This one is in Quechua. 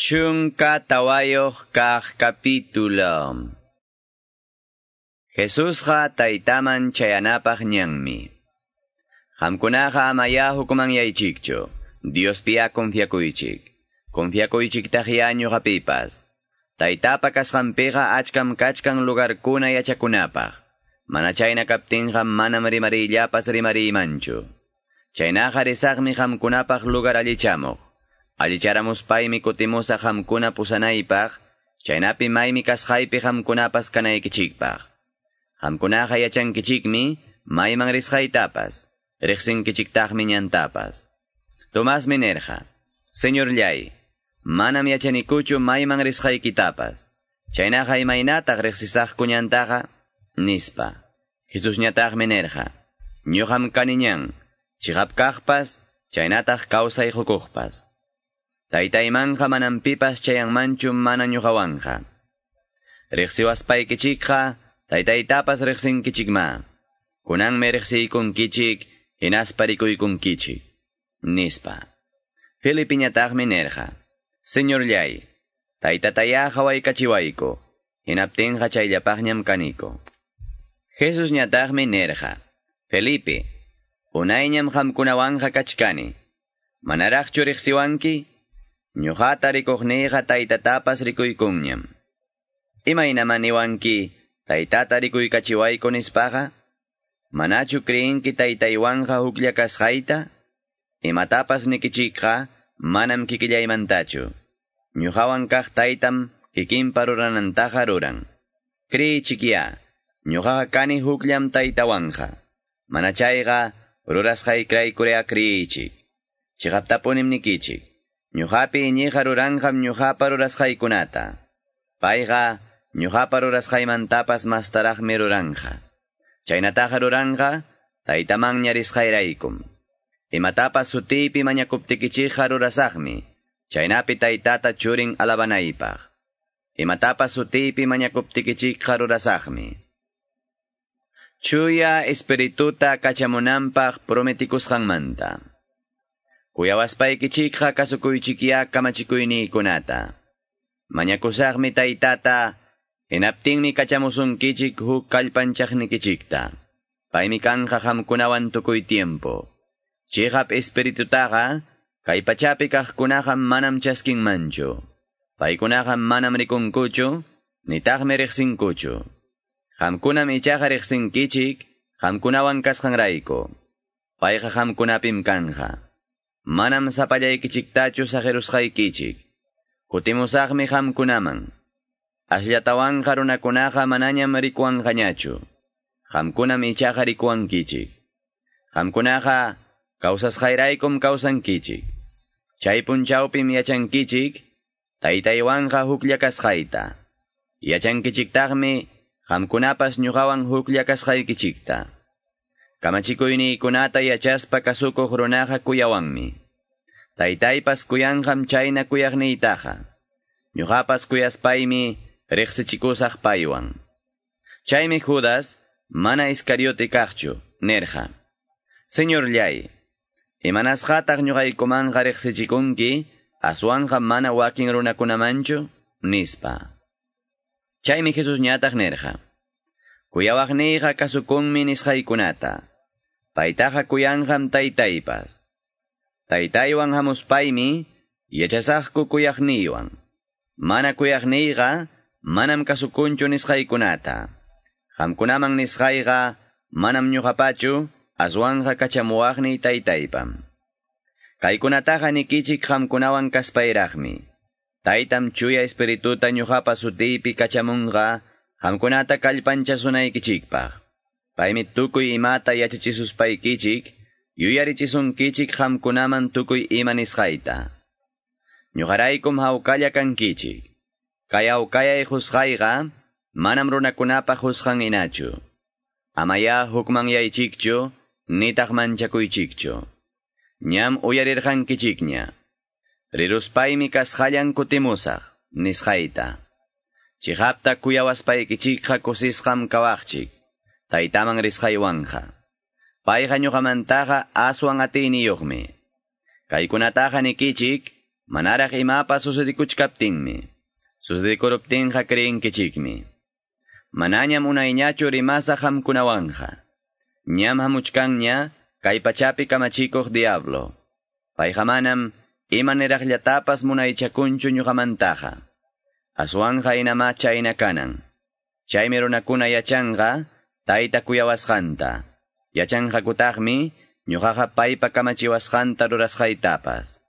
14 kaq capítulo. Jesusqa taytaman chayanapaq ñanmi. Qamkunaqa amaya hukmanyaychikchu, Diospiya confiakuychik. Confiakuychiktaqya ñuqapipas. Taytapa kasqanpiqa achkam kachkan lugarkuna yachakunapaq. Mana chayna kaptinqa manam rimariyllapas rimariymanchu. Chaynaqa risaqmi qamkunapaq lugar allichamuq. Allicharamuspaymi kutimusaq qamkuna pusanaypaq, chaynapi maymi kasqaypi qamkunapas kanaykichikpaq. Qamkunaqa yachankichikmi mayman risqaytapas, riqsinkichiktaqmi ñantapas. Tomasmi nirqa, Señorllay, manam yachanikuchu mayman risqaykitapas. Chaynaqa imaynataq riqsisaqku ñantaqa, nispa. Jesusñataqmi nirqa, ñuqam kani ñan, chiqap kaqpas, chaynataq kawsay qukuqpas. Taytaymanqa manam pipas chayanmanchu mana ñuqawanqa. Riqsiwaspaykichikqa, taytaytapas riqsinkichikma. Kunanmi riqsiykunkichik, hinaspa rikuykunkichik, nispa. Felipiñataqmi nirqa, Señorllay, taytatayá qhawaykachiwayku, hinaptinqa chayllapaqñam kaniku. Jesusñataqmi nirqa, Felipe, unayñam qamkunawanqa kachkani, manaraqchu riqsiwanki? Ñuqata rikuqniyqa taytatapas rikuykunñam. Imaynaman niwanki taytata rikuykachiwayku nispaqa? Manachu creenki taytaywanqa huklla kasqayta? Imatapas nikichikqa manam kikillaymantachu. Ñuqawan kaq taytam kikinpa ruranantaqa ruran. Creeychikya, ñuqaqa kani hukllam taytawanqa. Mana chayqa rurasqaykiraykurea creeychik. Chiqaptapunim nikichik. Ñuqapi iñiqa ruranqam ñuqapa rurasqaykunata. Payqa ñuqapa rurasqaymantapas mastaraqmi ruranqa. Chaynataqa ruranqa taytamanña risqayraykum. Imatapas sutiypi mañakuptikichikqa rurasaqmi, chaynapi taytata churin alabanaypaq. Imatapas sutiypi mañakuptikichikqa rurasaqmi. Chuya Espirituta kachamunanpaq prometikusqanmanta. Kuyawaspaykichikqa kasukuychikya kamachikuyniykunata. Mañakusaqmi taytata, hinaptinmi kachamusunkichik huk kallpanchaqnikichikta. Paymi kanqa qamkunawan tukuy tiempo. Chiqap Espiritutaqa, kay pachapi kaqkunaqa manam chaskinmanchu. Paykunaqa manam rikunkuchu, nitaqmi riqsinkuchu. Qamkunam ichaqa riqsinkichik, qamkunawan kasqanrayku. Payqa qamkunapim kanja. Manam sapallaykichiktachu saqirusqaykichik. Kutimusaqmi qamkunaman. Asllatawanqa runakunaqa manañam rikuwanqañachu. Qamkunam ichaqa rikuwankichik. Qamkunaqa kawsasqayraykum kawsankichik. Chay punchawpim yachankichik, taytaywanqa huklla kasqayta. Yachankichiktaqmi qamkunapas ñuqawan huklla kasqaykichikta. Kamachikuyniykunata yachaspa kasukuq runaqa kuyawanmi. Taytaypas kuyanqam chayna kuyaqniytaqa. Ñuqapas kuyaspaymi riqsichikusaq paywan. Chaymi Judas mana Iscariote kaqchu, nirqa, Señorllay, imanasqataq ñuqaykumanqa riqsichikunki, aswanqa mana wakin runakunamanchu, nispa. Chaymi Jesusñataq nirqa, Kuyawaqniyqa kasukunmi nisqaykunata. Paytaqa kuyanqam taytaypas. Taytaywan hamuspaymi yachasaqku kuyaqniywan. Mana kuyaqniyqa manam kasukunchu nisqaykunata. Qamkunaman nisqayqa manam ñuqapachu, aswanqa kachamuwaqniy taytaypam. Kaykunataqa nikichik qamkunawan kaspayraqmi. Taytam chuya Espirituta ñuqapa sutiypi kachamunqa qamkunata kallpanchasunaykichikpaq. Paymi tukuy imata yachachisuspaykichik, yuyarichisunkichik qamkunaman tukuy ima nisqayta. Ñuqaraykum hawkalla kankichik. Kay hawkayay qusqayqa manam runakunapa qusqan hinachu. Amaya hukmanyaychikchu, nitaq manchakuychikchu. Ñam uyarirqankichikña. Riruspaymi kasqallan kutimusaq, nisqayta. Chiqapta kuyawaspaykichikqa kusisqam kawaqchik, taytaman risqaywanja. Payqa ñuqamantaqa aswan atiyniyuqmi. Kaykunataqa nikichik, Manaraq imapas sucedikuchkaptinmi. Sucedikuruptinqa creenkichikmi. Manañam unayñachu rimasaq qamkunawanqa. Ñam hamuchkanña kay pachapi kamachikuq diablo. Payqa manam ima niraqllatapas munaychakunchu ñuqamantaqa. Aswanqa inamá chayna kanan. Chaymi runakuna yachanqa tayta kuyawasqanta. Yachanqakutaqmi ñuqaqa paypa kamachiwasqanta rurasqaytapas.